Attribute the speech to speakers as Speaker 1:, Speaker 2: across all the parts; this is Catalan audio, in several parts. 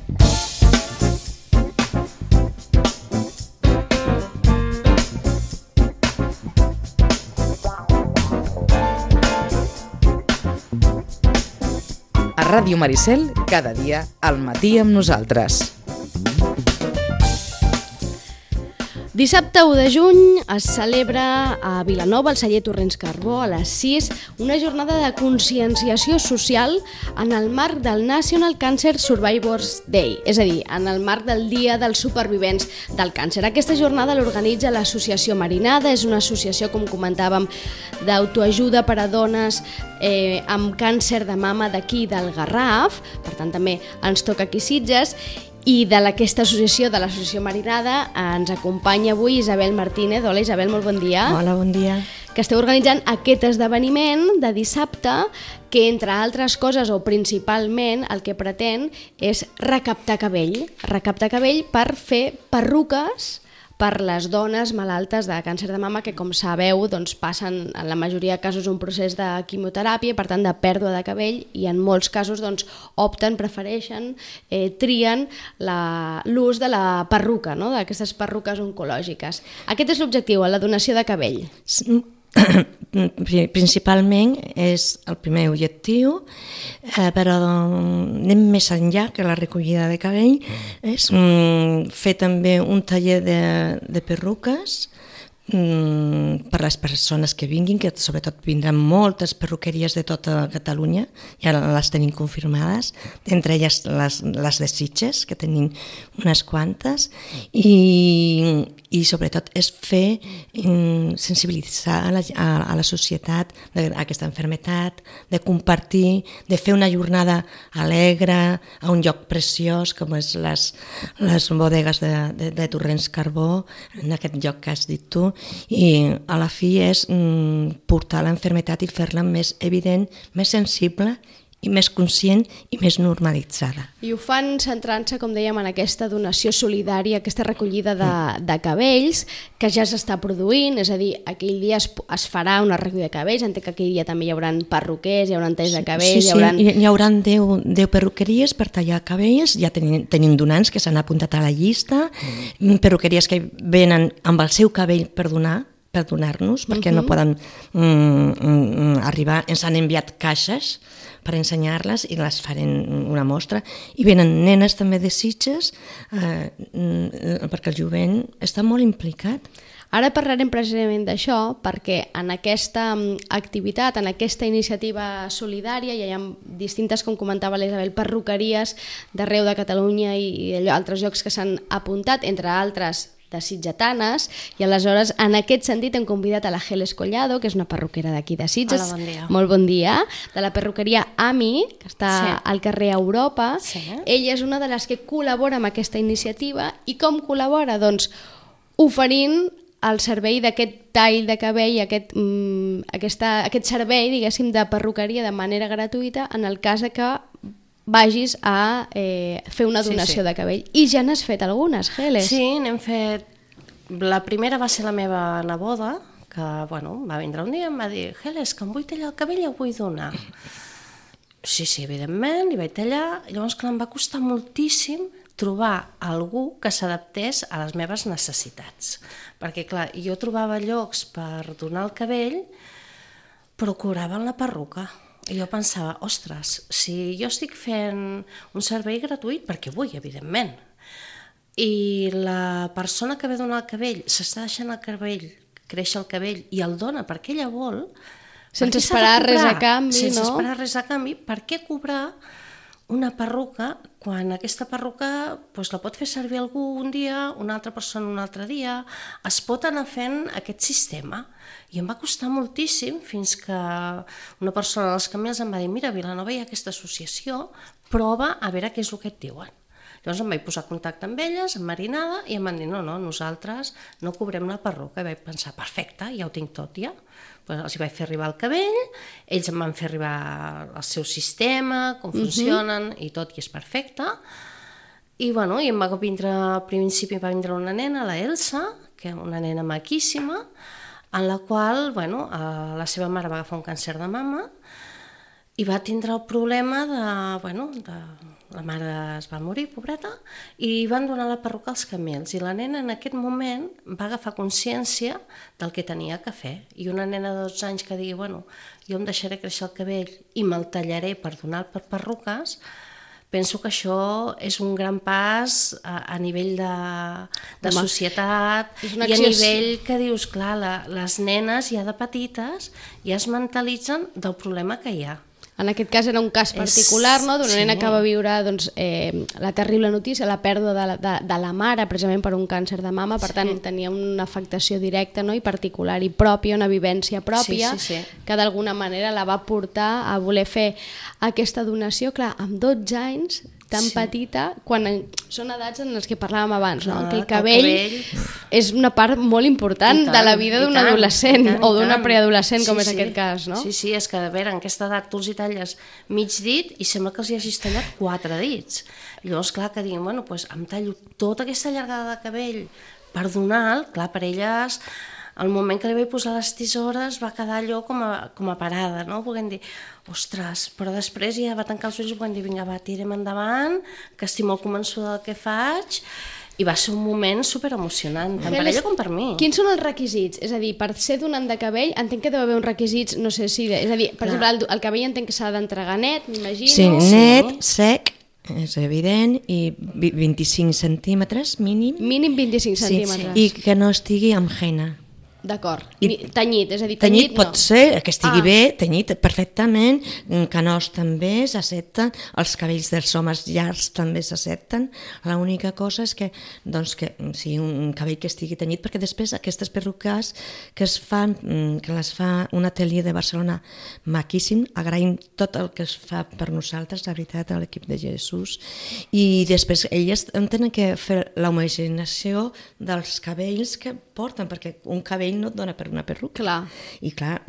Speaker 1: A Ràdio Maricel, cada dia al matí amb nosaltres.
Speaker 2: Dissabte 1 de juny es celebra a Vilanova, al celler Torrents Carbó, a les 6, una jornada de conscienciació social en el marc del National Cancer Survivors Day, és a dir, en el marc del Dia dels Supervivents del Càncer. Aquesta jornada l'organitza l'Associació Marinada, és una associació, com comentàvem, d'autoajuda per a dones amb càncer de mama d'aquí del Garraf, per tant també ens toca aquí Sitges. I d'aquesta associació, de l'Associació Marinada, ens acompanya avui Isabel Martínez. Hola Isabel, molt bon dia.
Speaker 3: Hola, bon dia.
Speaker 2: Que esteu organitzant aquest esdeveniment de dissabte que, entre altres coses, o principalment, el que pretén és recaptar cabell. Recaptar cabell per fer perruques per les dones malaltes de càncer de mama que, com sabeu, doncs, passen en la majoria de casos un procés de quimioteràpia, per tant de pèrdua de cabell, i en molts casos doncs, opten, prefereixen, trien l'ús de la perruca, no? D'aquestes perruques oncològiques. Aquest és l'objectiu, la donació de cabell.
Speaker 3: Principalment és el primer objectiu, però anem més enllà que la recollida de cabell, és fer també un taller de perruques per les persones que vinguin, que sobretot vindran moltes perruqueries de tota Catalunya, ja les tenim confirmades, entre elles les de Sitges, que tenim unes quantes, i sobretot és fer sensibilitzar a la societat d'aquesta malaltia, de compartir, de fer una jornada alegre a un lloc preciós com és les bodegues de Torrents Carbó, en aquest lloc que has dit tu, i a la fi és portar la malaltia i fer-la més evident, més sensible i més conscient i més normalitzada.
Speaker 2: I ho fan centrant-se, com dèiem, en aquesta donació solidària, aquesta recollida de cabells que ja s'està produint, és a dir, aquell dia es farà una recollida de cabells, entenc que aquell dia també hi haurà perruquers, hi haurà talls de cabells...
Speaker 3: Sí, hi haurà 10 perruqueries per tallar cabells, ja tenim donants que s'han apuntat a la llista, perruqueries que venen amb el seu cabell per donar-nos, perquè no poden arribar, ens han enviat caixes per ensenyar-les i les farem una mostra. I venen nenes també de Sitges, perquè el jovent està molt implicat.
Speaker 2: Ara parlarem precisament d'això, perquè en aquesta activitat, en aquesta iniciativa solidària, hi ha distintes, com comentava l'Isabel, perruqueries d'arreu de Catalunya i altres llocs que s'han apuntat, entre altres de sitgetanes, i aleshores en aquest sentit hem convidat a la Geles Collado, que és una perruquera d'aquí de Sitges.
Speaker 4: Hola, bon dia.
Speaker 2: Molt bon dia. De la perruqueria AMI, que està al carrer Europa.
Speaker 4: Sí.
Speaker 2: Ella és una de les que col·labora amb aquesta iniciativa. I com col·labora? Doncs oferint el servei d'aquest tall de cabell, aquest servei, diguéssim, de perruqueria de manera gratuïta en el cas que vagis a fer una donació de cabell. I ja n'has fet algunes, Geles.
Speaker 4: Sí, n'hem fet... La primera va ser la meva neboda, que va vindre un dia i em va dir: Geles, que em vull tallar el cabell i ho vull donar. Sí, evidentment, li vaig tallar. Llavors, clar, em va costar moltíssim trobar algú que s'adaptés a les meves necessitats. Perquè, clar, jo trobava llocs per donar el cabell, però cobraven la perruca. I jo pensava, ostres, si jo estic fent un servei gratuït, perquè vull, evidentment, i la persona que ve a donar el cabell s'està deixant el cabell, créixer el cabell, i el dona perquè ella vol,
Speaker 2: sense esperar res a canvi,
Speaker 4: sense esperar res a canvi, per què cobrar una perruca quan aquesta perruca la pot fer servir algú un dia, una altra persona un altre dia? Es pot anar fent aquest sistema. I em va costar moltíssim fins que una persona dels Camins em va dir: mira, a Vilanova hi ha aquesta associació, prova a veure què és el que et diuen. Llavors em vaig posar en contacte amb elles, amb Marinada, i em van dir: no, nosaltres no cobrem la perruca. I vaig pensar, perfecte, ja ho tinc tot ja. Els hi vaig fer arribar el cabell, ells em van fer arribar el seu sistema, com funcionen i tot, i és perfecte. I em va vindre, al principi va vindre una nena, la Elsa, que és una nena maquíssima, en la qual la seva mare va agafar un càncer de mama I va tindre el problema la mare es va morir, pobreta, i van donar la perruca als camells. I la nena en aquest moment va agafar consciència del que tenia que fer. I una nena de 12 anys que digui, jo em deixaré créixer el cabell i me'l tallaré per donar per perruques, penso que això és un gran pas a nivell de societat i a nivell que dius, clar, les nenes ja de petites ja es mentalitzen del problema que hi ha.
Speaker 2: En aquest cas era un cas particular, no? D'una nena que va viure la terrible notícia, la pèrdua de la mare, precisament per un càncer de mama, per tant tenia una afectació directa, no? I particular i pròpia, una vivència pròpia, que d'alguna manera la va portar a voler fer aquesta donació, clar, amb 12 anys, tan petita, quan són edats en les que parlàvem abans, no? Que el cabell és una part molt important de la vida d'un adolescent o d'una preadolescent, com és aquest cas, no?
Speaker 4: Sí, és que a veure, en aquesta edat tu els hi talles mig dit i sembla que els hi hagis tallat 4 dits. Llavors, clar, que diguin, em tallo tota aquesta llargada de cabell per donar-lo, clar, per elles el moment que li vaig posar les tisores va quedar allò com a parada, no? Volguem dir, ostres, però després ja va tancar els ulls i volguem dir, vinga, va, tirem endavant, que estic molt convençuda del que faig, i va ser un moment superemocionant, tant per ella com per mi.
Speaker 2: Quins són els requisits? És a dir, per ser donant de cabell, entenc que deu haver uns requisits, no sé si... És a dir, per exemple, el cabell entenc que s'ha d'entregar net, m'imagino.
Speaker 3: Sí, net, sec, és evident, i 25 centímetres mínim.
Speaker 2: Mínim 25 centímetres.
Speaker 3: I que no estigui amb henna.
Speaker 2: D'acord, tenyit, és a dir,
Speaker 3: tenyit pot ser, que estigui bé, tenyit perfectament, canós també s'accepten, els cabells dels homes llargs també s'accepten, l'única cosa és que, sigui un cabell que estigui tenyit, perquè després aquestes perruques que es fan, que les fa un atelier de Barcelona maquíssim, agraïm tot el que es fa per nosaltres, la veritat, a l'equip de Jesús, i després elles tenen que fer l'homogeneïtzació dels cabells que porten, perquè un cabell no et dona per una perruca.
Speaker 2: Clar.
Speaker 3: I clar,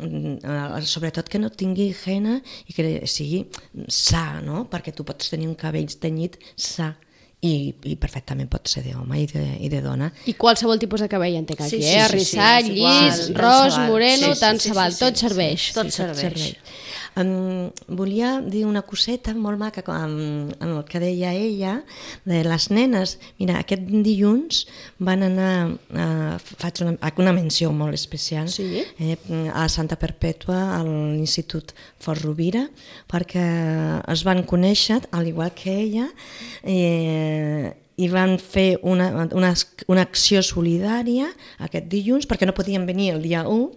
Speaker 3: sobretot que no tingui henna i que sigui sa, no? Perquè tu pots tenir un cabell tenyit sa i perfectament pot ser d'home i de dona.
Speaker 2: I qualsevol tipus de cabell entenc aquí, arrissat, llis, ros, moreno, tant se val, tot serveix.
Speaker 4: Tot serveix.
Speaker 3: Volia dir una coseta molt maca amb el que deia ella de les nenes. Mira, aquest dilluns van anar, faig una menció molt especial, a Santa Perpètua, a l'Institut Fort Rovira, perquè es van conèixer, al igual que ella, i van fer una acció solidària aquest dilluns, perquè no podien venir el dia 1,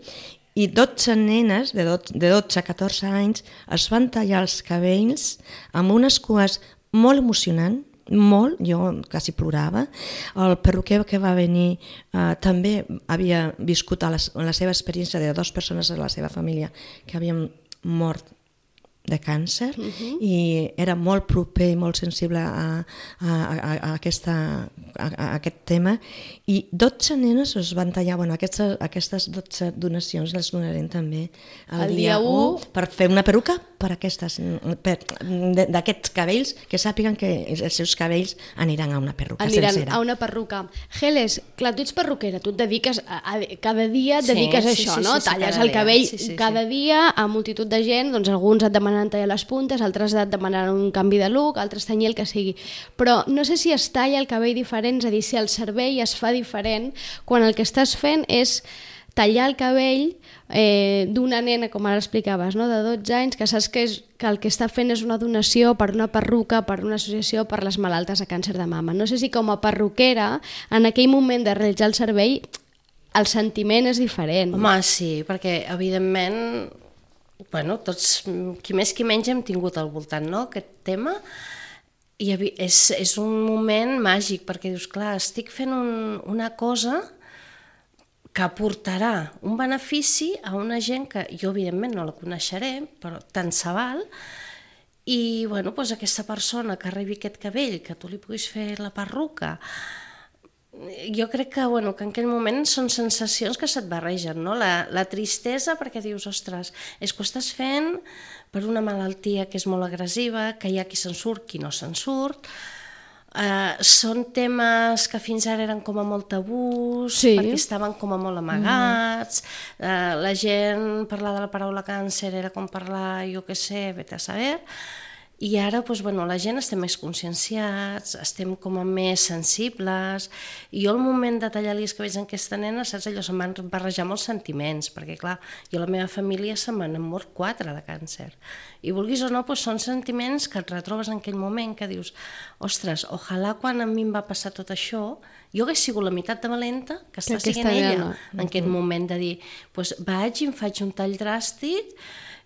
Speaker 3: i 12 nenes de 12 a 14 anys es van tallar els cabells amb unes cues molt emocionants, molt, jo quasi plorava. El perruquer que va venir també havia viscut la seva experiència de 2 persones de la seva família que havien mort de càncer i era molt proper i molt sensible a aquest tema, i 12 nenes es van tallar. Aquestes 12 donacions les donarem també el dia 1 per fer una perruca per d'aquests cabells, que sàpiguen que els seus cabells aniran a una perruca sencera.
Speaker 2: Aniran a una perruca. Geles, clar, tu ets perruquera, tu et dediques cada dia et dediques a això, no? Talles el cabell cada dia a multitud de gent, doncs alguns et demanen tallar les puntes, altres et demanen un canvi de look, altres tenyir el que sigui. Però no sé si es talla el cabell diferent, és a dir, si el servei es fa diferent quan el que estàs fent és tallar el cabell d'una nena, com ara explicaves, no? De 12 anys, que saps que el que està fent és una donació per una perruca, per una associació per les malaltes de càncer de mama. No sé si com a perruquera, en aquell moment de realitzar el servei, el sentiment és diferent.
Speaker 4: Home, sí, perquè evidentment, tots, qui més qui menys, hem tingut al voltant, no?, aquest tema, i és un moment màgic, perquè dius, clar, estic fent una cosa que aportarà un benefici a una gent que jo evidentment no la coneixeré, però tant se val, i aquesta persona que rebi aquest cabell, que tu li puguis fer la perruca, jo crec que en aquell moment són sensacions que se't barregen, no? La tristesa, perquè dius, ostres, és que ho estàs fent per una malaltia que és molt agressiva, que hi ha qui se'n surt, qui no se'n surt. Són temes que fins ara eren com a molt tabús,
Speaker 2: Sí.
Speaker 4: perquè estaven com a molt amagats, la gent parlar de la paraula càncer era com parlar, jo què sé, vete a saber, i ara doncs, bueno, la gent estem més conscienciats, estem com a més sensibles, i jo al moment de tallar-li els cabells a aquesta nena, saps allò, se'm van barrejar molts sentiments, perquè clar, jo a la meva família se m'han mort 4 de càncer, i vulguis o no, doncs, són sentiments que et retrobes en aquell moment, que dius, ostres, ojalà quan a mi em va passar tot això, jo hagués sigut la meitat de valenta que està sent ella, en aquest moment de dir, doncs vaig i em faig un tall dràstic,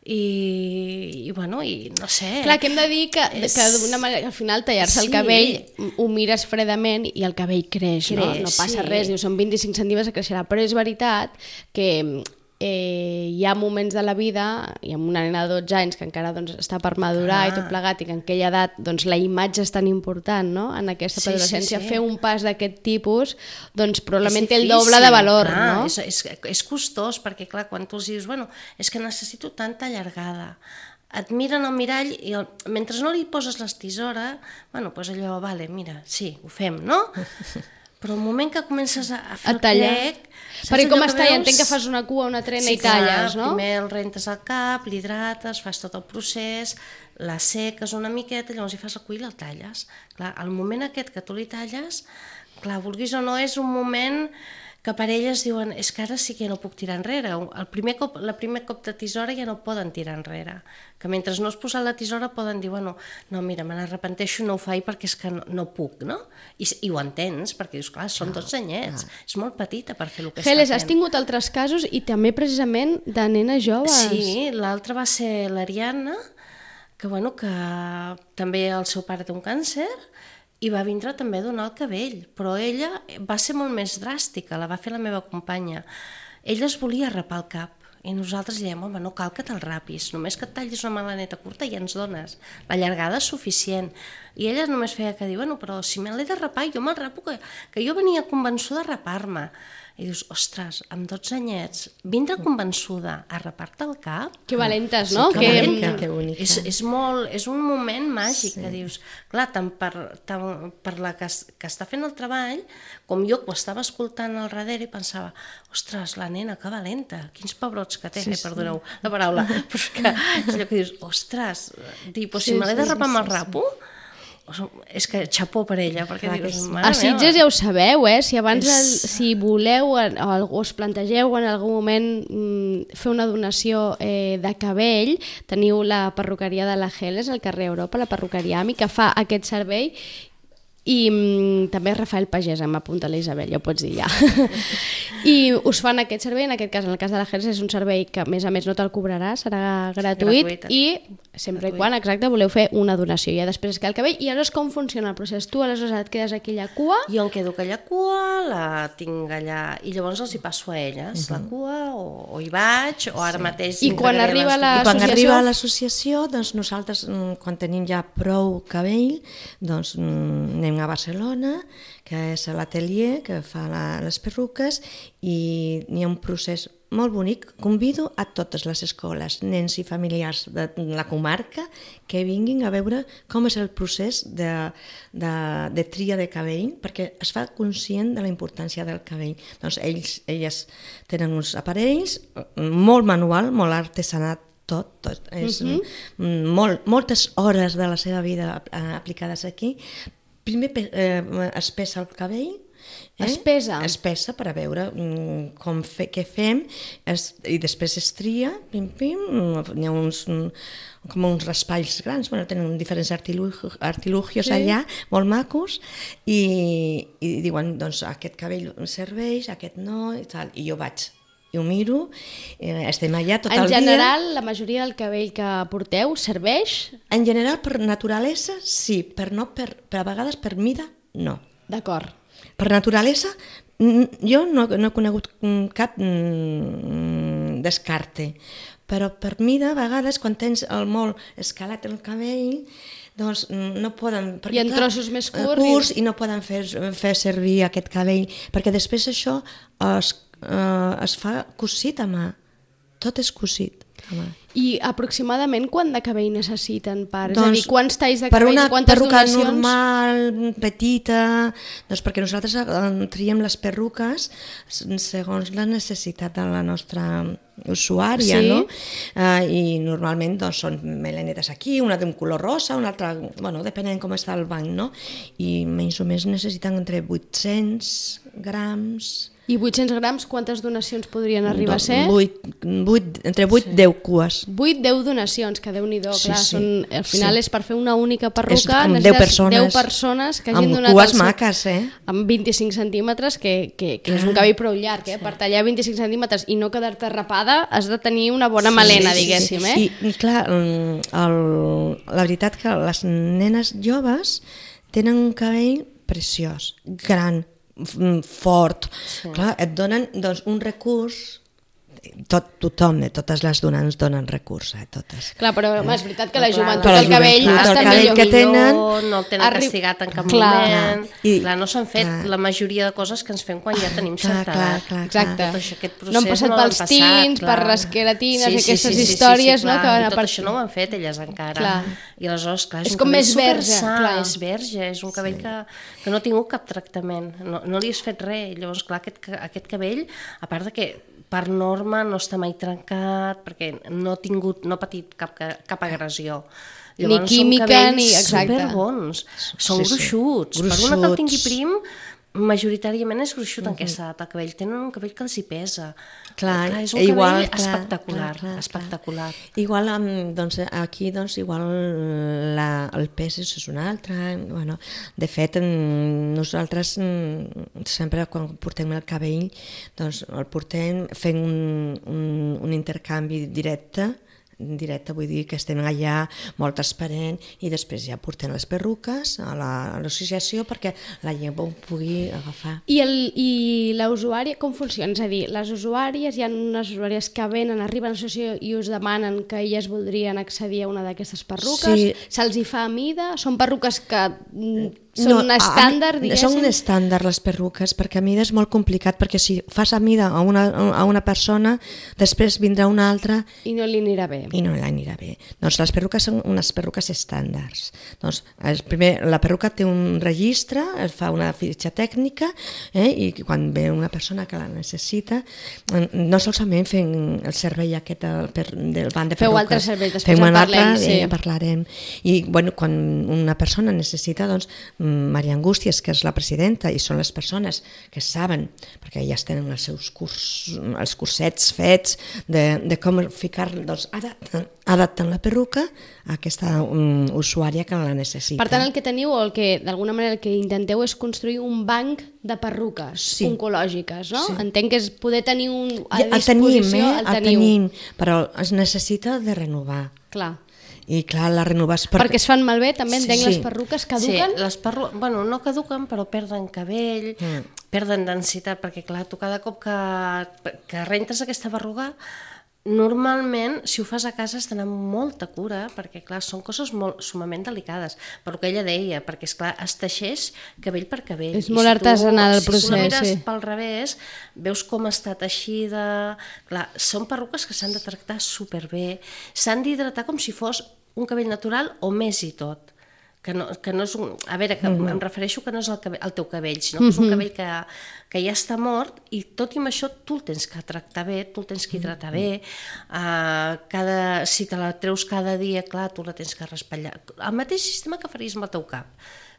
Speaker 4: i bueno, i no sé.
Speaker 2: Clar, que hem de dir que d'una manera, al final tallar-se el cabell ho mires fredament i el cabell creix, no? No passa res, diu, són 25 centímetres que creixerà, però és veritat que hi ha moments de la vida, i amb una nena de 12 anys que encara doncs, està per madurar i tot plegat, i que en aquella edat doncs, la imatge és tan important, no? En aquesta adolescència, fer un pas d'aquest tipus doncs, probablement té el doble de valor.
Speaker 4: Clar,
Speaker 2: no?
Speaker 4: És costós, perquè clar, quan tu els dius, bueno, és que necessito tanta allargada, et miren al mirall i mentre no li poses les tisores, bueno, doncs allò, vale, mira, sí, ho fem, no? Però el moment que comences a fer el plec...
Speaker 2: Perquè com està, ja entenc que fas una cua, una trena i talles, no?
Speaker 4: Primer el rentes al cap, l'hidrates, fas tot el procés, la seques una miqueta, llavors hi fas el cua i la talles. Clar, al moment aquest que tu li talles, clar, vulguis o no, és un moment que per elles diuen, és que ara sí que ja no puc tirar enrere. El primer cop de tisora ja no poden tirar enrere. Que mentre no has posat la tisora poden dir, bueno, no, mira, me n'arrepenteixo, no ho faig perquè és que no puc, no? I ho entens, perquè dius, clar, són 12 anyets, és molt petita per fer el que està fent.
Speaker 2: Geles, has tingut altres casos i també precisament de nenes joves.
Speaker 4: Sí, l'altre va ser l'Ariadna, que bueno, que també el seu pare té un càncer, i va vindre també a donar el cabell, però ella va ser molt més dràstica, la va fer la meva companya. Ella es volia rapar el cap, i nosaltres diem, home, no cal que te'l rapis, només que et tallis una melaneta curta i ja ens dones. La llargada és suficient. I ella només feia que dir, bueno, però si me l'he de rapar, jo me'l rapo, que jo venia convençuda a rapar-me. I dius, ostres, amb 12 anyets, vindre convençuda a rapar-te el cap...
Speaker 2: Que valentes, no?
Speaker 3: Sí, que bonica.
Speaker 4: És un moment màgic, que dius, clar, tant per la que està fent el treball, com jo que ho estava escoltant al darrere i pensava, ostres, la nena, que valenta, quins pebrots que té, perdoneu la paraula, però és allò que dius, ostres, si me l'he de rapar amb el rapo, és que xapó per ella, perquè dius, mare meva.
Speaker 2: A Sitges ja ho sabeu, si abans si voleu o us plantegeu en algun moment fer una donació de cabell, teniu la perruqueria de la Geles al carrer Europa, la perruqueria AMI, que fa aquest servei, i també Rafael Pagès, m'apunta la Isabel, ja ho pots dir ja. I us fan aquest servei, en aquest cas, en el cas de la Geles, és un servei que a més no te'l cobrarà, serà gratuït i sempre i quan, exacte, voleu fer una donació. Ja després es queda el cabell i aleshores com funciona el procés? Tu aleshores et quedes aquí a la cua?
Speaker 4: Jo em quedo aquella cua, la tinc allà i llavors els hi passo a elles la cua o hi vaig o ara mateix...
Speaker 2: I quan arriba
Speaker 3: l'associació, doncs nosaltres quan tenim ja prou cabell, doncs anem a Barcelona, que és l'atelier que fa les perruques, i n'hi ha un procés molt bonic. Convido a totes les escoles, nens i familiars de la comarca que vinguin a veure com és el procés de tria de cabell, perquè es fa conscient de la importància del cabell. Doncs elles tenen uns aparells, molt manual, molt artesanat, tot. És moltes hores de la seva vida aplicades aquí. Primer es pesa el cabell.
Speaker 2: Es pesa?
Speaker 3: Es pesa per a veure què fem, i després es tria, n'hi ha com uns raspalls grans, tenen diferents artilugios allà, molt macos, i diuen, doncs aquest cabell serveix, aquest no, i tal, i jo vaig. I ho miro, estem allà tot el dia.
Speaker 2: En general, la majoria del cabell que porteu serveix?
Speaker 3: En general, per naturalesa, sí, però a vegades per mida, no.
Speaker 2: D'acord.
Speaker 3: Per naturalesa, jo no he conegut cap descarte, però per mida, a vegades, quan tens molt escalat el cabell, doncs no poden...
Speaker 2: I en trossos més curts.
Speaker 3: I no poden fer servir aquest cabell, perquè després això es fa cosit a mà, tot és cosit a mà.
Speaker 2: I aproximadament quant de cabell necessiten per...
Speaker 3: Doncs,
Speaker 2: és a dir, quants talls de cabell, quantes
Speaker 3: perruca
Speaker 2: donacions?
Speaker 3: normal, petita, doncs perquè nosaltres triem les perruques segons la necessitat de la nostra usuària,
Speaker 2: Sí.
Speaker 3: no? I normalment doncs, són melenetes aquí, una d'un color rosa, una altra, bueno, depenent com està el banc, no? I menys o més necessiten entre 800 grams...
Speaker 2: I 800 grams, quantes donacions podrien arribar a ser?
Speaker 3: Entre 8 i 10 cues.
Speaker 2: 8-10 donacions, que Déu-n'hi-do,
Speaker 3: Sí,
Speaker 2: clar,
Speaker 3: sí.
Speaker 2: al final és per fer una única
Speaker 3: És
Speaker 2: perruca,
Speaker 3: com 10
Speaker 2: necessites
Speaker 3: persones.
Speaker 2: 10 persones que hagin
Speaker 3: Amb
Speaker 2: donat
Speaker 3: cues
Speaker 2: el seu-
Speaker 3: maques,
Speaker 2: amb 25 centímetres, que és un cabell prou llarg, per tallar 25 centímetres i no quedar-te rapada has de tenir una bona melena, diguéssim, eh?
Speaker 3: I clar, la veritat que les nenes joves tenen un cabell preciós, gran, fort. Clar, et donen doncs, un recurs, tothom, totes les donants donen recurs, totes.
Speaker 2: Clar, però és veritat que la
Speaker 4: Clar,
Speaker 2: joventut,
Speaker 3: però
Speaker 2: el cabell
Speaker 3: el
Speaker 2: està
Speaker 3: cabell
Speaker 2: millor.
Speaker 3: que tenen-
Speaker 4: no el tenen castigat en cap
Speaker 2: Clar.
Speaker 4: moment.
Speaker 3: I-
Speaker 4: Clar, no s'han fet
Speaker 3: clar.
Speaker 4: la majoria de coses que ens fem quan ja tenim certa edat.
Speaker 2: Exacte.
Speaker 4: Tot això, aquest procés
Speaker 2: No han passat
Speaker 4: no l'han
Speaker 2: pels
Speaker 4: passat,
Speaker 2: tins,
Speaker 4: clar.
Speaker 2: per les queratines i aquestes històries, no?
Speaker 4: clar.
Speaker 2: Que van
Speaker 4: I
Speaker 2: a
Speaker 4: tot
Speaker 2: part-
Speaker 4: això no ho han fet elles encara.
Speaker 2: Clar.
Speaker 4: I aleshores, clar,
Speaker 2: És
Speaker 4: un
Speaker 2: com
Speaker 4: cabell
Speaker 2: més verge,
Speaker 4: supersa,
Speaker 2: clar.
Speaker 4: és verge, és un cabell que no ha tingut cap tractament, no li has fet res. Llavors, clar, aquest cabell, a part de que per norma no està mai trencat, perquè no ha patit cap agressió.
Speaker 2: Ni química, ni...
Speaker 4: Exacte.
Speaker 2: Exacte.
Speaker 4: Superbons, són
Speaker 3: Sí, sí.
Speaker 4: gruixuts. Per una que el
Speaker 3: Gruixuts.
Speaker 4: tingui prim, majoritàriament és gruixut en aquesta edat. El cabell tenen un cabell que els hi pesa.
Speaker 3: Clar,
Speaker 4: és un
Speaker 3: igual,
Speaker 4: cabell espectacular, espectacular.
Speaker 3: Igual doncs, aquí doncs, igual el pes és un altre. Bueno, de fet, nosaltres sempre quan portem el cabell doncs, el portem fent un intercanvi directe, vull dir que estem allà molt transparent i després ja portem les perruques a l'associació perquè la gent ho pugui agafar.
Speaker 2: I la usuària com funciona? És a dir, les usuàries, hi ha unes usuàries que venen, arriben a l'associació i us demanen que elles voldrien accedir a una d'aquestes perruques?
Speaker 3: Sí.
Speaker 2: Se'ls hi fa a mida? Són perruques que són estàndard, diguéssim?
Speaker 3: Són estàndard les perruques, perquè a mida és molt complicat, perquè si fas a mida a una persona, després vindrà una altra
Speaker 2: I no li anirà bé.
Speaker 3: i no l'anirà bé. Doncs les perruques són unes perruques estàndards. Doncs, primer, la perruca té un registre, es fa una fitxa tècnica i quan ve una persona que la necessita, no solament fem el servei aquest del banc de perruques.
Speaker 2: Feu altres serveis, després
Speaker 3: fem
Speaker 2: en
Speaker 3: un altre,
Speaker 2: parlem, sí.
Speaker 3: ja parlarem. I quan una persona necessita, doncs, Maria Angústies, que és la presidenta, i són les persones que saben, perquè ja tenen els seus els cursets fets de com ficar, doncs, adaptant la perruca a aquesta usuària que la necessita.
Speaker 2: Per tant, el que teniu, o el que d'alguna manera el que intenteu és construir un banc de perruques oncològiques, no?
Speaker 3: Sí.
Speaker 2: Entenc que és poder tenir a
Speaker 3: El
Speaker 2: disposició,
Speaker 3: tenim, però es necessita de renovar.
Speaker 2: Clar.
Speaker 3: I clar, la renovació...
Speaker 2: Perquè es fan malbé, també entenc,
Speaker 3: Sí.
Speaker 2: les perruques caduquen?
Speaker 4: Sí, les bueno, no caduquen, però perden cabell, perden densitat, perquè clar, tu cada cop que rentes aquesta berruga, normalment, si ho fas a casa, has d'anar amb molta cura, perquè clar, són coses molt sumament delicades, però que ella deia, perquè esclar, es teixeix cabell per cabell.
Speaker 2: És molt artesanal el procés,
Speaker 4: Si tu la mires
Speaker 2: sí.
Speaker 4: pel revés, veus com està teixida... Clar, són perruques que s'han de tractar superbé, s'han d'hidratar com si fos un cabell natural o més i tot. Que no és un... A veure, que em refereixo que no és el teu cabell, sinó que és un cabell que ja està mort i tot i amb això tu el tens que tractar bé, tu el tens que hidratar bé, si te la treus cada dia, clar, tu la tens que raspallar. El mateix sistema que faries amb el teu cap,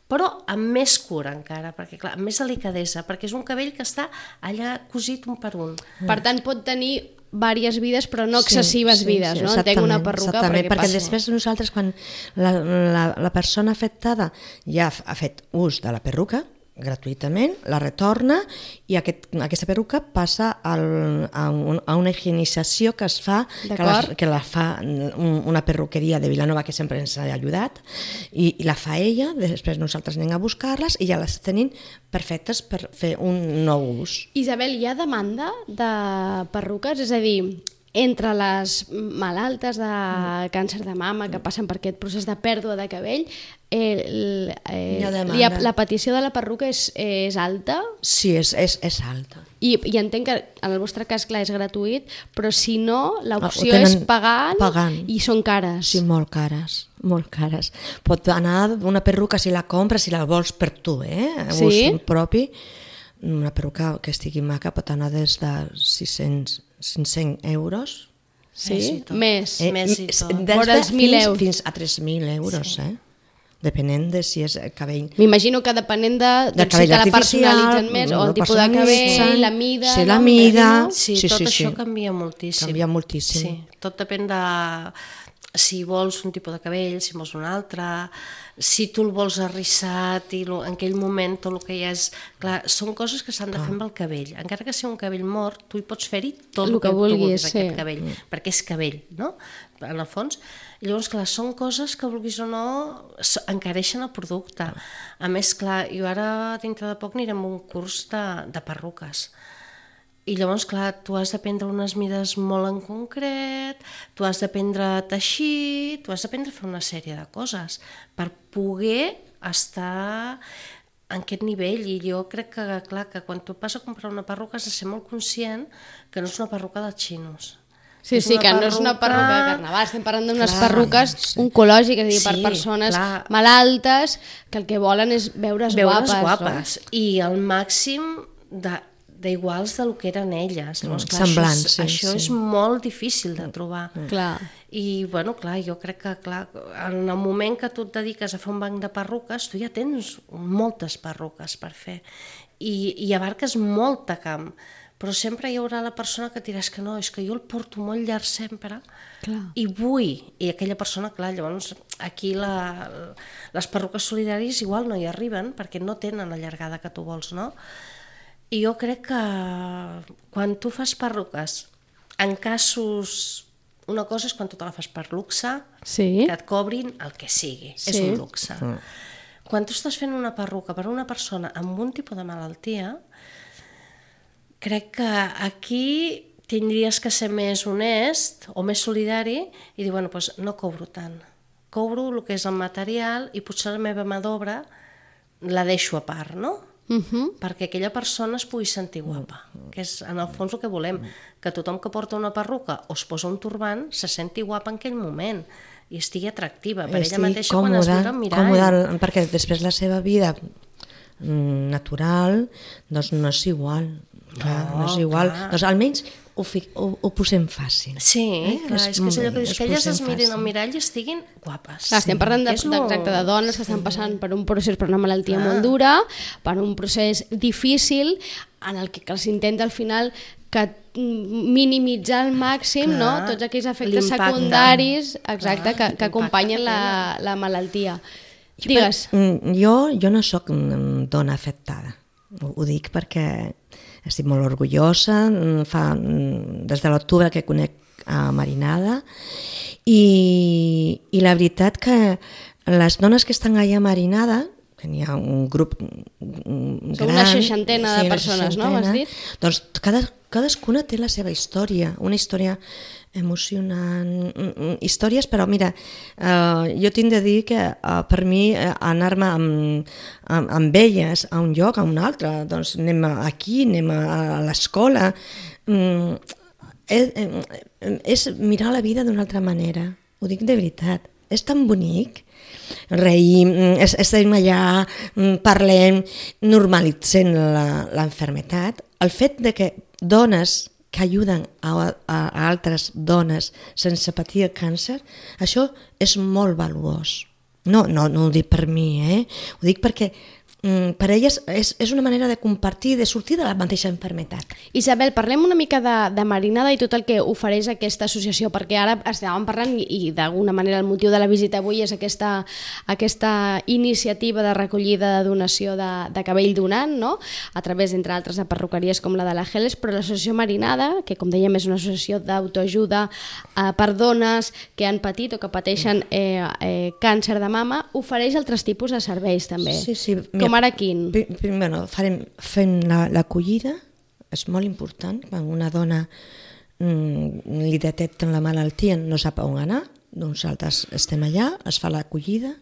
Speaker 4: però amb més cura encara, perquè clar, amb més delicadesa, perquè és un cabell que està allà cosit un per un.
Speaker 2: Per tant, pot tenir diverses vides, però no excessives vides, no? Entenc una perruca
Speaker 3: perquè després nosaltres, quan la persona afectada ja ha fet ús de la perruca, gratuïtament, la retorna i aquesta perruca passa a una higienització que es fa, que la fa una perruqueria de Vilanova que sempre ens ha ajudat i la fa ella, després nosaltres anem a buscar-les i ja les tenim perfectes per fer un nou ús.
Speaker 2: Isabel, hi ha demanda de perruques? És a dir, entre les malaltes de càncer de mama que passen per aquest procés de pèrdua de cabell, la petició de la perruca és alta?
Speaker 3: Sí, és alta.
Speaker 2: I entenc que en el vostre cas, clar, és gratuït, però si no, l'opció és pagant i són cares.
Speaker 3: Sí, molt cares, molt cares. Pot anar una perruca si la compres, si la vols per tu, ús propi. Una perruca que estigui maca pot anar des de 500 euros.
Speaker 2: Sí? Més i tot.
Speaker 3: Des de 1.000 fins a 3.000 euros, depenent de si és cabell.
Speaker 2: M'imagino que depenent de si te la personalitzen més, o el tipus de cabell, la mida...
Speaker 3: Sí, la mida...
Speaker 4: Sí, tot això canvia moltíssim.
Speaker 3: Canvia moltíssim.
Speaker 4: Sí, tot depèn de si vols un tipus de cabell, si vols un altre, si tu el vols arrissat i en aquell moment tot el que hi és... Clar, són coses que s'han de fer amb el cabell. Encara que sigui un cabell mort, tu hi pots fer-hi tot el que vulguis aquest cabell, perquè és cabell, no? En el fons. I llavors, clar, són coses que vulguis o no encareixen el producte. A més, clar, jo ara dintre de poc anirem a un curs de perruques. I llavors, clar, tu has d'aprendre unes mides molt en concret, tu has d'aprendre a teixir, tu has d'aprendre a fer una sèrie de coses per poder estar en aquest nivell. I jo crec que, clar, que quan tu vas a comprar una perruca has de ser molt conscient que no és una perruca dels xinos.
Speaker 2: Sí, que no és una perruca de carnaval, estem parlant d'unes perruques oncològiques, és a dir, per persones malaltes que el que volen és veure's guapes.
Speaker 4: I al màxim d'iguals del que eren elles.
Speaker 3: Semblants.
Speaker 4: Això és molt difícil de trobar. I, bueno, clar, jo crec que, clar, en el moment que tu et dediques a fer un banc de perruques, tu ja tens moltes perruques per fer. I abarques molt de camp. Però sempre hi haurà la persona que diràs que no, és que jo el porto molt llarg sempre i vull, i aquella persona, clar, llavors aquí les perruques solidàries igual no hi arriben perquè no tenen la llargada que tu vols, no? I jo crec que quan tu fas perruques, en casos... Una cosa és quan tu te la fas per luxe, que et cobrin el que sigui, és un luxe. Quan tu estàs fent una perruca per a una persona amb un tipus de malaltia, crec que aquí tindries que ser més honest o més solidari i dir, bueno, doncs no cobro tant. Cobro el que és el material i potser la meva mà d'obra la deixo a part, no? Perquè aquella persona es pugui sentir guapa, que és en el fons el que volem, que tothom que porta una perruca o es posa un turbant se senti guapa en aquell moment i estigui atractiva per ella mateixa quan es mira al mirall.
Speaker 3: Perquè després la seva vida natural doncs no és igual. No és igual. Doncs almenys ho posem fàcil.
Speaker 4: Sí, clar, és que és allò que dius, que elles es mirin al mirall i estiguin guapes.
Speaker 2: Estem parlant de dones que estan passant per un procés, per una malaltia molt dura, per un procés difícil, en el que s'intenta al final que minimitzar al màxim tots aquells efectes secundaris que acompanyen la malaltia. Digues.
Speaker 3: Jo no sóc dona afectada, ho dic perquè estic molt orgullosa, des de l'octubre que conec a Marinada i la veritat que les dones que estan allà a Marinada, que n'hi ha un grup gran...
Speaker 2: Són una 60 de persones, no? M'has dit?
Speaker 3: Doncs cadascuna té la seva història, una història emocionant, històries, però mira, jo tinc de dir que per mi anar-me amb elles a un lloc, a un altre, doncs anem aquí, anem a l'escola, és mirar la vida d'una altra manera, ho dic de veritat, és tan bonic, reïm, estem allà, parlem, normalitzem l'enfermetat, el fet de que dones que ajuden a altres dones sense patir el càncer, això és molt valuós. No ho dic per mi, ho dic perquè per elles és una manera de compartir, de sortir de la mateixa enfermetat.
Speaker 2: Isabel, parlem una mica de Marinada i tot el que ofereix aquesta associació, perquè ara estàvem parlant i d'alguna manera el motiu de la visita avui és aquesta iniciativa de recollida de donació de cabell donant, no? A través, entre altres, de perruqueries com la de la Geles, però l'associació Marinada, que com dèiem és una associació d'autoajuda per dones que han patit o que pateixen càncer de mama, ofereix altres tipus de serveis també.
Speaker 3: Sí,
Speaker 2: com ara quin?
Speaker 3: Fem l'acollida, és molt important quan una dona li detecten la malaltia, no sap on anar, nosaltres estem allà, es fa l'acollida,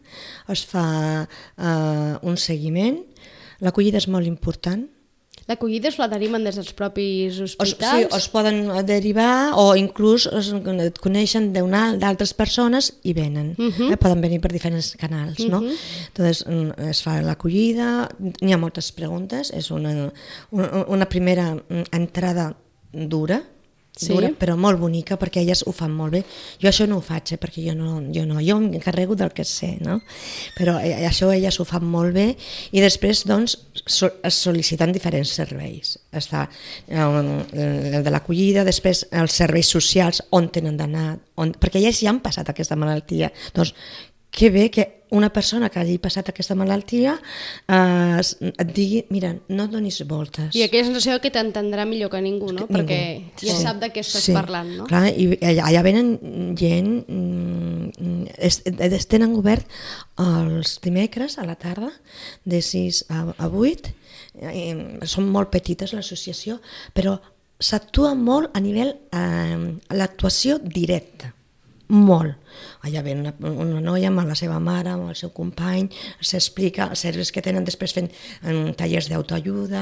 Speaker 3: es fa un seguiment. L'acollida és molt important.
Speaker 2: L'acollida es la deriven des dels propis
Speaker 3: Sí,
Speaker 2: hospitals?
Speaker 3: es poden derivar o inclús et coneixen d'altres persones i venen. Poden venir per diferents canals, no? Entonces, es fa l'acollida, n'hi ha moltes preguntes, és una primera entrada dura, però molt bonica, perquè elles ho fan molt bé. Jo això no ho faig, perquè jo m'encarrego del que sé, no? Però això elles ho fan molt bé i després doncs es sol·liciten diferents serveis. Està el de l'acollida, després els serveis socials, on tenen d'anar, perquè elles ja han passat aquesta malaltia. Doncs que bé que una persona que hagi passat aquesta malaltia et digui, mira, no et donis voltes.
Speaker 2: I aquella sensació que t'entendrà millor que ningú, no? Perquè ja sap de què estàs parlant, no?
Speaker 3: Clar, i allà venen gent, tenen obert els dimecres a la tarda, de 6 a 8, són molt petites l'associació, però s'actua molt a nivell l'actuació directa. Molt. Allà ve una noia amb la seva mare, amb el seu company, s'explica els serveis que tenen, després fent tallers d'autoajuda,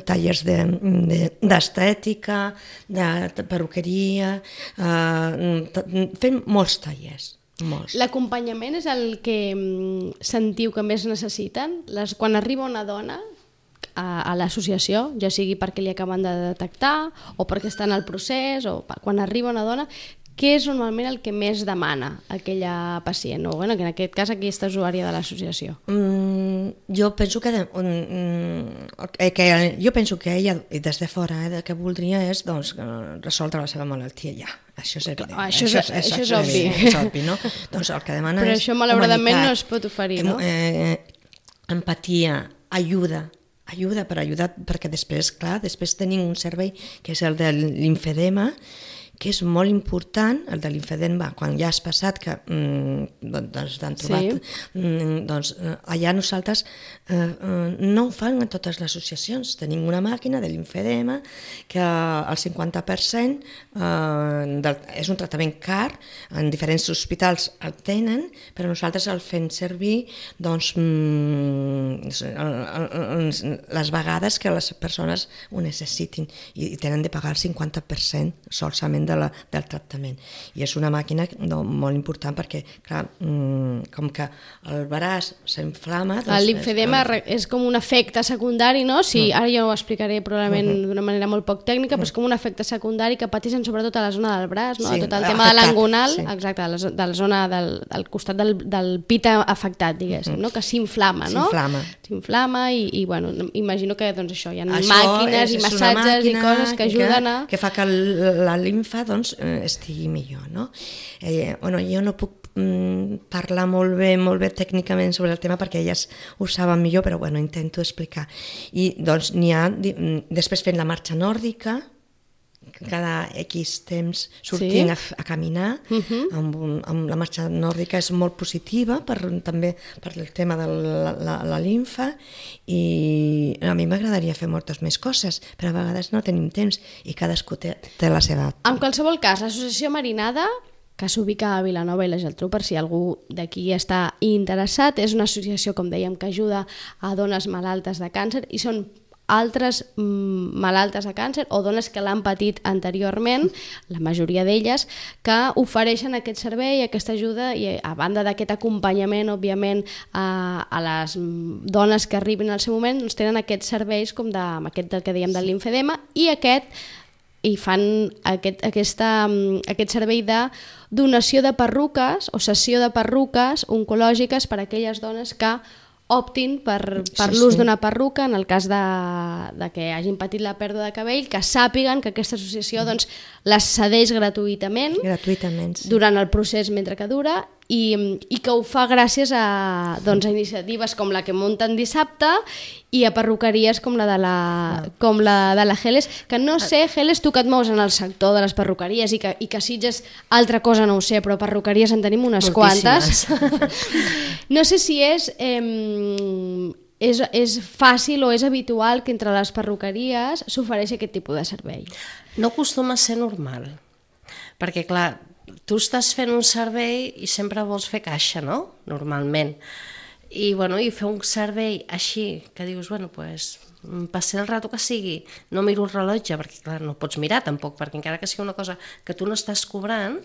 Speaker 3: tallers d'estètica, de perruqueria, fent molts tallers.
Speaker 2: L'acompanyament és el que sentiu que més necessiten? Quan arriba una dona a l'associació, ja sigui perquè li acaben de detectar o perquè està en el procés, o quan arriba una dona, què és normalment el que més demana aquella pacient? O, bueno, que en aquest cas aquesta usuària de l'associació.
Speaker 3: Jo penso que ella, des de fora, el que voldria és resoldre la seva malaltia ja. Això és evident.
Speaker 2: Això és obvi.
Speaker 3: És obvi, no? Doncs el que demana
Speaker 2: però
Speaker 3: és
Speaker 2: això malauradament no es pot oferir, no?
Speaker 3: Empatia, ajuda per ajudar, perquè després tenim un servei que és el de l'infedema, que és molt important, el de l'infedema, quan ja has passat, que t'han trobat, doncs allà nosaltres no ho fan en totes les associacions. Tenim una màquina de l'infedema que el 50% és un tractament car, en diferents hospitals el tenen, però nosaltres el fem servir les vegades que les persones ho necessitin i tenen de pagar el 50% solament del tractament. I és una màquina molt important perquè, clar, com que el braç s'inflama...
Speaker 2: L'infedema és com un efecte secundari, no? Ara jo ho explicaré probablement d'una manera molt poc tècnica, però és com un efecte secundari que pateixen sobretot a la zona del braç, no? Tot el tema de l'angonal, exacte, de la zona del costat del pit afectat, diguéssim, no? Que s'inflama, no? S'inflama i, bueno, imagino que això, hi ha màquines i massatges i coses que ajuden a...
Speaker 3: Que fa que la limfa estigui millor, no? Jo no puc parlar molt bé tècnicament sobre el tema perquè elles ho saben millor, però bueno, intento explicar. I doncs n'hi ha, després fent la marxa nòrdica, cada X temps sortint a caminar, amb la marxa nòrdica és molt positiva també per el tema de la limfa, i a mi m'agradaria fer moltes més coses, però a vegades no tenim temps i cadascú té la seva...
Speaker 2: En qualsevol cas, l'associació Marinada, que s'ubica a Vilanova i la Geltrú, per si algú d'aquí està interessat, és una associació, com dèiem, que ajuda a dones malaltes de càncer, i són altres malaltes de càncer o dones que l'han patit anteriorment, la majoria d'elles, que ofereixen aquest servei, aquesta ajuda, i a banda d'aquest acompanyament, òbviament, a les dones que arribin al seu moment, doncs tenen aquests serveis com aquest del que dèiem de l'infedema, i fan aquest servei de donació de perruques o cessió de perruques oncològiques per a aquelles dones que optin per l'ús d'una perruca en el cas de que hagin patit la pèrdua de cabell, que sàpiguen que aquesta associació les cedeix gratuïtament durant el procés mentre que dura, i que ho fa gràcies a iniciatives com la que munten dissabte i a perruqueries com la de la Geles, que no sé, Geles, tu que et mous en el sector de les perruqueries i que Sitges altra cosa no ho sé, però perruqueries en tenim unes quantes. No sé si és és fàcil o és habitual que entre les perruqueries s'ofereixi aquest tipus de servei?
Speaker 4: No acostuma a ser normal, perquè clar, tu estàs fent un servei i sempre vols fer caixa, no? Normalment. I fer un servei així, que dius, pues, passer el rato que sigui, no miro el rellotge, perquè clar, no pots mirar tampoc, perquè encara que sigui una cosa que tu no estàs cobrant,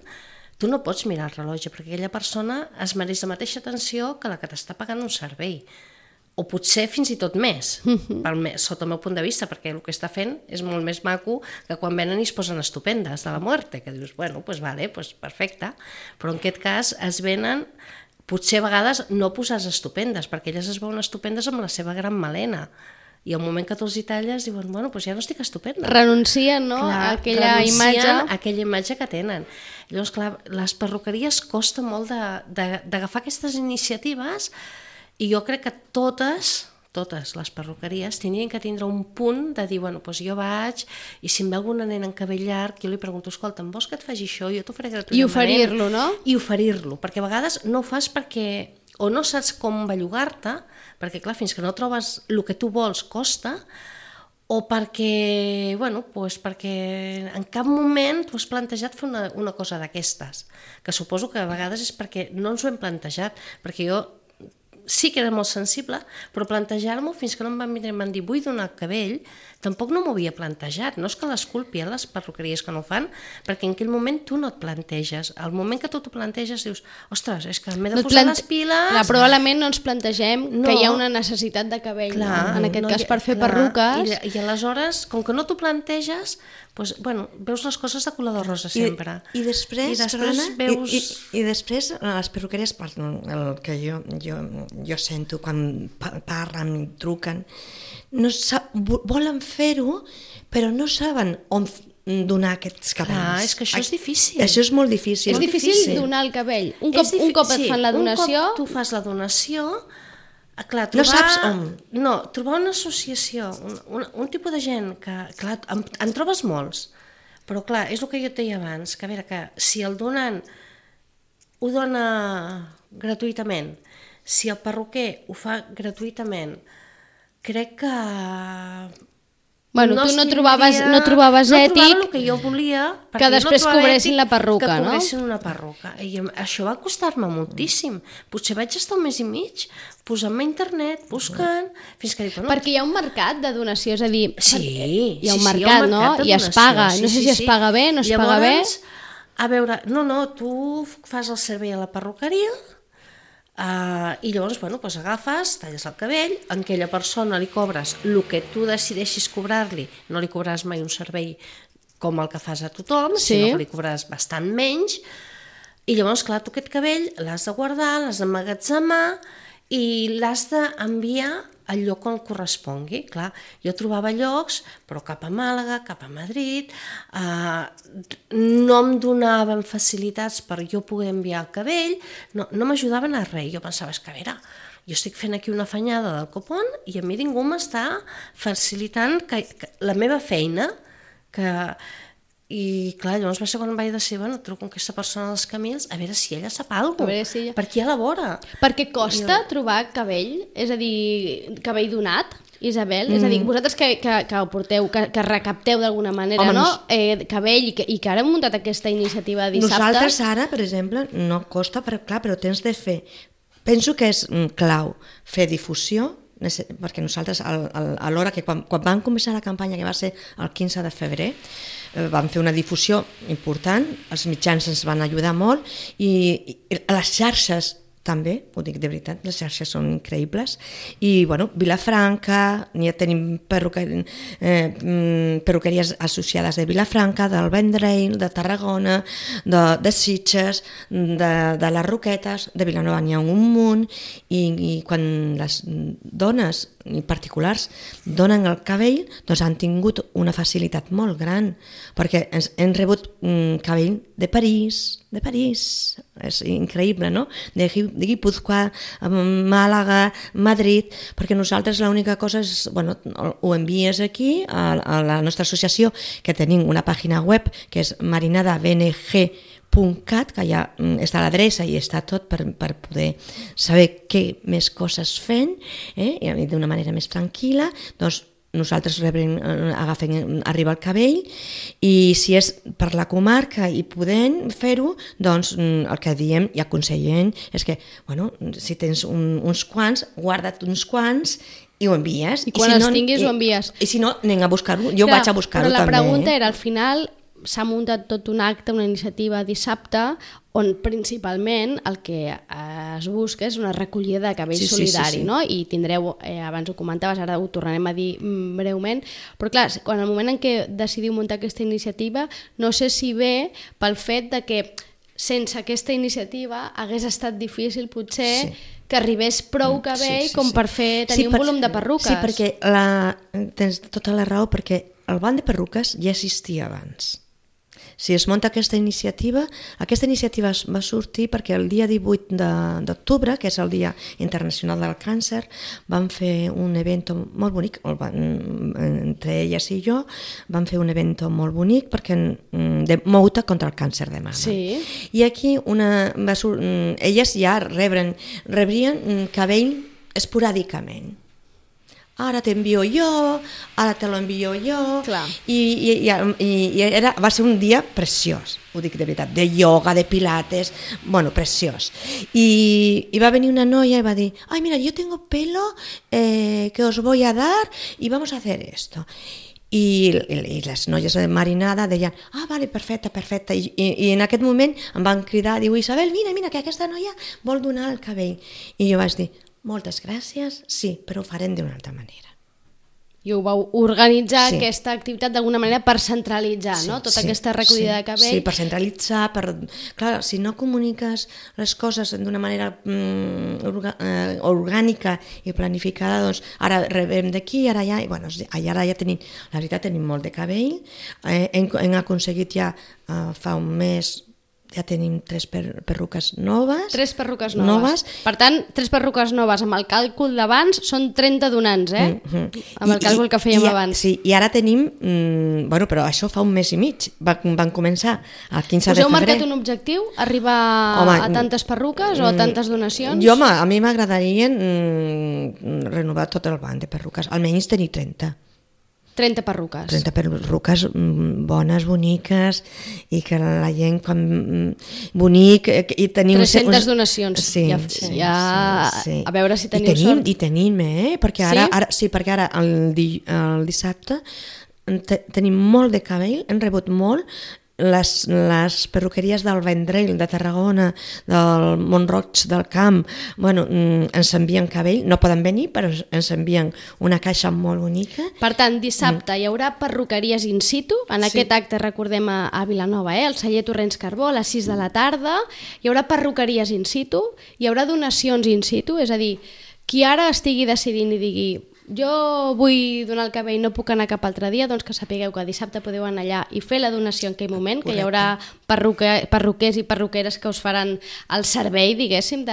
Speaker 4: tu no pots mirar el rellotge, perquè aquella persona es mereix la mateixa atenció que la que t'està pagant un servei. O potser fins i tot més, sota el meu punt de vista, perquè el que està fent és molt més maco que quan venen i es posen estupendes de la muerte, que dius, perfecte, però en aquest cas es venen, potser a vegades no posar estupendes, perquè elles es veuen estupendes amb la seva gran melena, i al moment que tu els hi talles diuen, ja no estic estupenda.
Speaker 2: Renuncien, no?, a aquella
Speaker 4: imatge que tenen. Llavors, clar, les perruqueries costa molt d'agafar aquestes iniciatives. I jo crec que totes les perruqueries tenien que tindre un punt de dir, jo vaig, i si em ve alguna nena en cabell llarg, jo li pregunto, escolta, em vols que et faci això? Jo t'ho faré gratuïtament.
Speaker 2: I oferir-lo, no?
Speaker 4: I oferir-lo, perquè a vegades no ho fas perquè o no saps com bellugar-te, perquè clar, fins que no trobes el que tu vols costa, o perquè, perquè en cap moment tu has plantejat fer una cosa d'aquestes, que suposo que a vegades és perquè no ens ho hem plantejat, perquè jo sí que era molt sensible, però plantejar-m'ho fins que no em van vindre i em van dir vull donar cabell, tampoc no m'ho havia plantejat. No és que les culpi les perruqueries que no ho fan, perquè en aquell moment tu no et planteges. Al moment que tu t'ho planteges dius, ostres, és que m'he de posar les piles...
Speaker 2: Probablement no ens plantegem que hi ha una necessitat de cabell, en aquest cas per fer perruques.
Speaker 4: I aleshores, com que no t'ho planteges, veus les coses de color de rosa sempre.
Speaker 3: I després les perruqueries, el que jo sento quan parlen i truquen, volen fer-ho, però no saben on donar aquests cabells.
Speaker 4: És que això és difícil.
Speaker 3: Això és molt difícil.
Speaker 2: És difícil donar el cabell. Un cop et fan la donació...
Speaker 4: Un cop tu fas la donació... Clar,
Speaker 3: no saps on.
Speaker 4: No, trobar una associació, un tipus de gent que... Clar, en trobes molts, però clar, és el que jo et deia abans, que a veure, que si el donant ho dona gratuïtament, si el perruquer ho fa gratuïtament, crec que...
Speaker 2: Tu no trobaves ètic
Speaker 4: el que jo volia,
Speaker 2: que després cobressin la perruca, no?
Speaker 4: Que cobressin una perruca. I això va costar-me moltíssim. Potser vaig estar un mes i mig posant-me a internet, buscant... Fins que dic,
Speaker 2: perquè hi ha un mercat de donació, és a dir...
Speaker 4: Sí,
Speaker 2: hi ha un mercat, no? I es paga. No sé si es paga bé, no es paga bé...
Speaker 4: A veure, tu fas el servei a la perruqueria... I llavors agafes, talles el cabell, a aquella persona li cobres el que tu decideixis cobrar-li, no li cobraràs mai un servei com el que fas a tothom, sinó que li cobraràs bastant menys, i llavors clar, tu aquest cabell l'has de guardar, l'has d'emmagatzemar i l'has d'enviar al lloc on correspongui. Clar, jo trobava llocs, però cap a Màlaga, cap a Madrid, no em donaven facilitats per jo poder enviar el cabell, no m'ajudaven a res. Jo pensava, és que a veure, jo estic fent aquí una afanyada del copón i a mi ningú m'està facilitant la meva feina, i clar, llavors va ser quan vaig decidir, truco a aquesta persona dels Camils a veure si ella sap alguna cosa, per aquí a la vora.
Speaker 2: Perquè costa trobar cabell, és a dir, cabell donat, Isabel? És a dir, vosaltres que ho porteu, que recapteu d'alguna manera, no? Cabell, i que ara hem muntat aquesta iniciativa dissabte.
Speaker 3: Nosaltres ara, per exemple, no costa, però tens de fer... Penso que és clau fer difusió, perquè nosaltres a l'hora que quan vam començar la campanya, que va ser el 15 de febrer, vam fer una difusió important, els mitjans ens van ajudar molt i les xarxes també, ho dic de veritat, les xarxes són increïbles, i Vilafranca, ja tenim perruqueries associades de Vilafranca, del Vendrell, de Tarragona, de Sitges, de les Roquetes, de Vilanova n'hi ha un munt, i quan les dones i particulars donen el cabell, doncs han tingut una facilitat molt gran, perquè hem rebut cabell de París, és increïble, no? De Guipúzcoa, Màlaga, Madrid, perquè nosaltres l'única cosa és, ho envies aquí a la nostra associació, que tenim una pàgina web que és marinadabng.com, www.cat, que ja està l'adreça i està tot per poder saber què més coses fem, i d'una manera més tranquil·la, doncs nosaltres arriba el cabell, i si és per la comarca i podem fer-ho, doncs el que diem i aconsellem és que, bueno, si tens uns quants, guarda't uns quants i ho envies.
Speaker 2: I quan els tinguis ho envies.
Speaker 3: I si no, anem a buscar-ho. Jo vaig a buscar-ho també.
Speaker 2: Però la pregunta era, al final s'ha muntat tot un acte, una iniciativa dissabte, on principalment el que es busca és una recollida de cabell solidari, no? I tindreu, abans ho comentaves, ara ho tornarem a dir breument, però clar, quan el moment en què decidiu muntar aquesta iniciativa, no sé si ve pel fet de que sense aquesta iniciativa hagués estat difícil potser que arribés prou cabell com per tenir un volum de perruques.
Speaker 3: Sí, perquè tens tota la raó, perquè el banc de perruques ja existia abans. Si es munta aquesta iniciativa va sortir perquè el dia 18 d'octubre, que és el Dia Internacional del Càncer, van fer un event molt bonic, entre elles i jo, van fer un event molt bonic de Mouta contra el càncer de mama.
Speaker 2: Sí.
Speaker 3: I aquí elles ja rebrien cabell esporàdicament. Ara t'envio jo, ara te l'envio jo.
Speaker 2: Clar.
Speaker 3: I va ser un dia preciós, ho dic de veritat, de ioga, de pilates, bueno, preciós. I va venir una noia i va dir, ay, mira, yo tengo pelo que os voy a dar y vamos a hacer esto. I les noies de marinada deien, vale, perfecte. I en aquest moment em van cridar, diu, Isabel, mira, que aquesta noia vol donar el cabell. I jo vaig dir, moltes gràcies, sí, però ho farem d'una altra manera.
Speaker 2: I ho vau organitzar, aquesta activitat, d'alguna manera per centralitzar, no? Tota aquesta recollida de cabell.
Speaker 3: Sí, per centralitzar, clar, si no comuniques les coses d'una manera orgànica i planificada, doncs ara rebem d'aquí, ara allà, i bueno, ara ja tenim, la veritat, tenim molt de cabell, hem aconseguit ja fa un mes, ja tenim 3 perruques noves.
Speaker 2: 3 perruques noves. Per tant, 3 perruques noves amb el càlcul d'abans són 30 donants, amb el càlcul que fèiem abans.
Speaker 3: Sí, i ara tenim, bueno, però això fa un mes i mig, van començar el 15 de febrer.
Speaker 2: Us heu marcat un objectiu? Arribar a tantes perruques o a tantes donacions?
Speaker 3: A mi m'agradaria renovar tot el banc de perruques, almenys tenir 30.
Speaker 2: 30 perruques.
Speaker 3: 30 perruques bones, boniques, i que la gent bonic i tenim
Speaker 2: 300 donacions.
Speaker 3: Sí.
Speaker 2: A veure si teniu sort.
Speaker 3: I tenim, perquè ara el dissabte tenim molt de cabell, hem rebut molt. Les perruqueries del Vendrell, de Tarragona, del Mont-roig del Camp, bueno, ens envien cabell, no poden venir, però ens envien una caixa molt bonica.
Speaker 2: Per tant, dissabte hi haurà perruqueries in situ, en aquest acte, recordem, a Vilanova, al celler Torrents Carbó, a les 6 de la tarda, hi haurà perruqueries in situ, hi haurà donacions in situ, és a dir, qui ara estigui decidint i digui jo vull donar el cabell, no puc anar cap altre dia, doncs que sapigueu que dissabte podeu anar allà i fer la donació en aquell moment, que hi haurà perruquers i perruqueres que us faran el servei, diguéssim,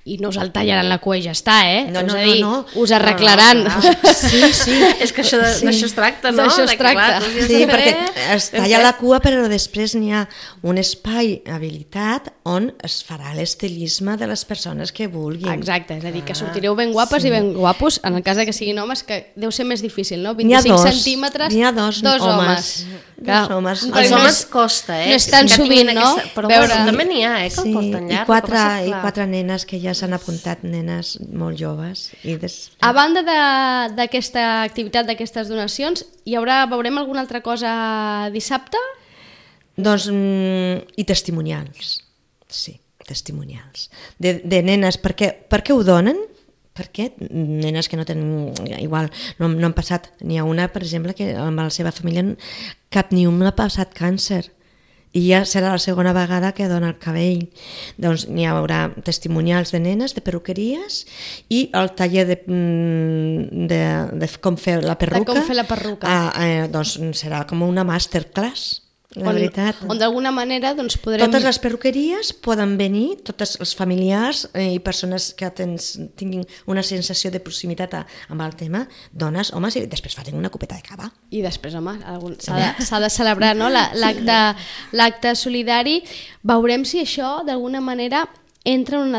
Speaker 2: i no us el tallaran la cua i ja està,
Speaker 3: No.
Speaker 2: Us arreglaran.
Speaker 3: Sí.
Speaker 4: És que d'això es tracta, no?
Speaker 2: D'això es tracta.
Speaker 3: Sí, perquè es talla la cua, però després n'hi ha un espai habilitat on es farà l'estilisme de les persones que vulguin.
Speaker 2: Exacte, és a dir, que sortireu ben guapes i ben guapos, en el cas que siguin homes, que deu ser més difícil, no? 25 centímetres,
Speaker 3: n'hi ha dos homes.
Speaker 2: Clar,
Speaker 4: els homes costa,
Speaker 2: no és tan sovint, no?
Speaker 4: Però també n'hi ha, que el porten llarg.
Speaker 3: I 4 nenes que ja s'han apuntat, nenes molt joves.
Speaker 2: A banda d'aquesta activitat, d'aquestes donacions, veurem alguna altra cosa dissabte?
Speaker 3: Doncs, i testimonials, sí, testimonials. De nenes, per què ho donen? Perquè nenes que no tenen, igual, no han passat, n'hi ha una, per exemple, que amb la seva família cap ni una ha passat càncer, i ja serà la segona vegada que dona el cabell. Doncs n'hi haurà testimonials de nenes, de perruqueries, i el taller de com fer la perruca.
Speaker 2: De com fer la perruca.
Speaker 3: Doncs serà com una masterclass. La veritat.
Speaker 2: On d'alguna manera doncs, podrem...
Speaker 3: Totes les perruqueries poden venir, tots els familiars i persones que tinguin una sensació de proximitat amb el tema, dones, homes, i després facin una copeta de cava.
Speaker 2: I després, home, s'ha de celebrar, no? l'acte solidari. Veurem si això, d'alguna manera, entra en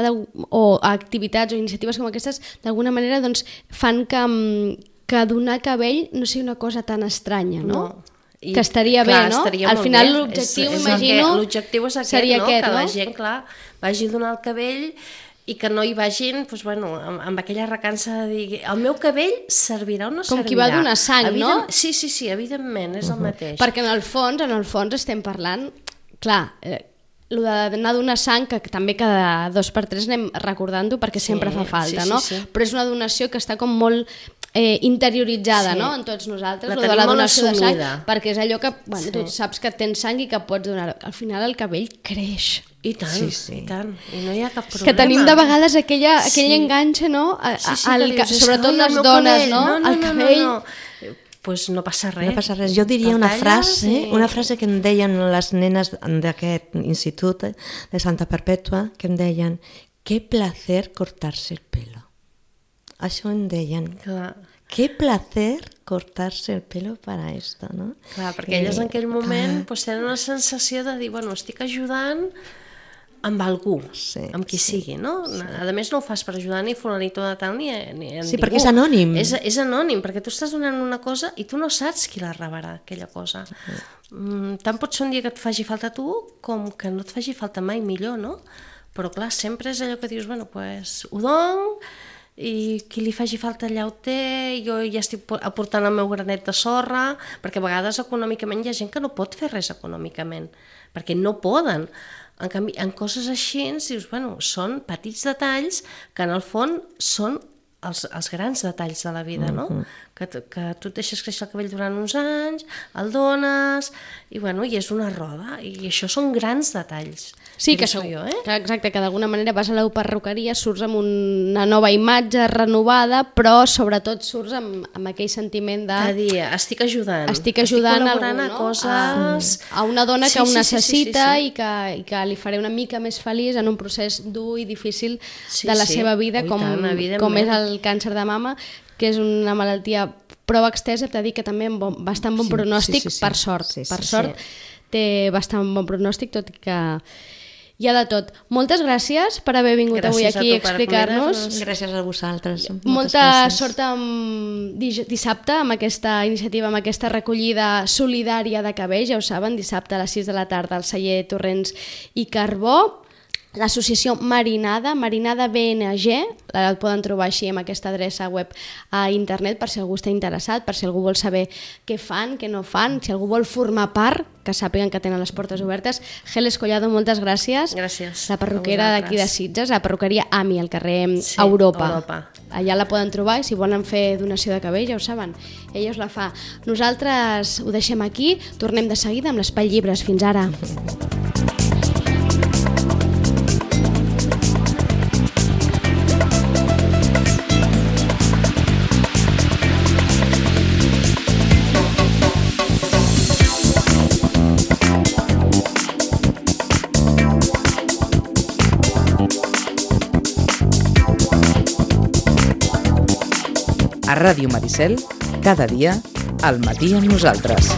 Speaker 2: o activitats o iniciatives com aquestes, d'alguna manera doncs, fan que donar cabell no sigui una cosa tan estranya, no? Que estaria bé, no?
Speaker 4: Al
Speaker 2: final l'objectiu, imagino,
Speaker 4: l'objectiu és aquest,
Speaker 2: seria
Speaker 4: no?
Speaker 2: aquest,
Speaker 4: que
Speaker 2: no?
Speaker 4: la gent, clar, vagi a donar el cabell i que no hi vagin doncs, bueno, amb aquella recança de dir el meu cabell servirà o no servirà.
Speaker 2: Com qui va donar sang, no?
Speaker 4: Sí, evidentment, és el mateix.
Speaker 2: Perquè en el fons estem parlant, clar, el d'anar a donar sang, que també cada 2 per 3 anem recordant-ho perquè sempre fa falta, no? Però és una donació que està com molt interioritzada, no? En tots nosaltres,
Speaker 4: la
Speaker 2: donació de sang,
Speaker 4: assumida.
Speaker 2: Perquè és allò que tu saps que tens sang i que pots donar. Al final el cabell creix.
Speaker 4: I tant, i tant, i no hi ha cap problema.
Speaker 2: Que tenim de vegades aquell enganxe, no? Sobretot les dones, no? El cabell...
Speaker 4: Pues no passa res.
Speaker 3: No passa res. Jo diria una frase que em deien les nenes d'aquest institut de Santa Perpètua, que em deien, qué placer cortarse el pelo. Això em deien.
Speaker 4: Clar.
Speaker 3: Qué placer cortarse el pelo para esto, no?
Speaker 4: Clar, perquè elles en aquell moment pues, tenen una sensació de dir, bueno, estic ajudant amb algú, amb qui sigui, no? A més no ho fas per ajudar ni fulanito de tal ni ningú.
Speaker 3: Sí, perquè és anònim.
Speaker 4: És anònim, perquè tu estàs donant una cosa i tu no saps qui la rebrà, aquella cosa. Tant pot ser un dia que et faci falta a tu com que no et faci falta mai, millor, no? Però clar, sempre és allò que dius, bueno, pues ho dono, i qui li faci falta allà ho té, jo ja estic aportant el meu granet de sorra, perquè a vegades econòmicament hi ha gent que no pot fer res econòmicament, perquè no poden. En canvi, en coses així, dius, bueno, són petits detalls que en el fons són els grans detalls de la vida, no? Que tu et deixes créixer el cabell durant uns anys, el dones, i bueno, i és una roda, i això són grans detalls.
Speaker 2: Sí, que exacte, que d'alguna manera vas a la perruqueria, surts amb una nova imatge renovada, però sobretot surts amb aquell sentiment de...
Speaker 4: Cada dia, estic ajudant
Speaker 2: col·laborant
Speaker 4: a coses...
Speaker 2: A una dona que ho necessita i que li faré una mica més feliç en un procés dur i difícil de la seva vida, com és el càncer de mama, que és una malaltia prou extensa, hem de dir que també amb bastant bon pronòstic, per sort. Per sort té bastant bon pronòstic, tot i que hi ha de tot. Moltes gràcies per haver vingut avui aquí a explicar-nos.
Speaker 3: Gràcies a vosaltres.
Speaker 2: Molta sort dissabte amb aquesta iniciativa, amb aquesta recollida solidària de cabells, ja ho saben, dissabte a les 6 de la tarda al celler Torrents i Carbó. L'associació Marinada BNG, la poden trobar així amb aquesta adreça web a internet per si algú està interessat, per si algú vol saber què fan, què no fan, si algú vol formar part, que sàpiguen que tenen les portes obertes. Geles Collado, moltes gràcies.
Speaker 4: Gràcies.
Speaker 2: La perruquera d'aquí de Sitges, la perruqueria AMI, al carrer Europa. Allà la poden trobar i si volen fer donació de cabell, ja ho saben, ella us la fa. Nosaltres ho deixem aquí, tornem de seguida amb l'Espai Llibres. Fins ara.
Speaker 1: A Ràdio Maricel, cada dia, al matí amb nosaltres.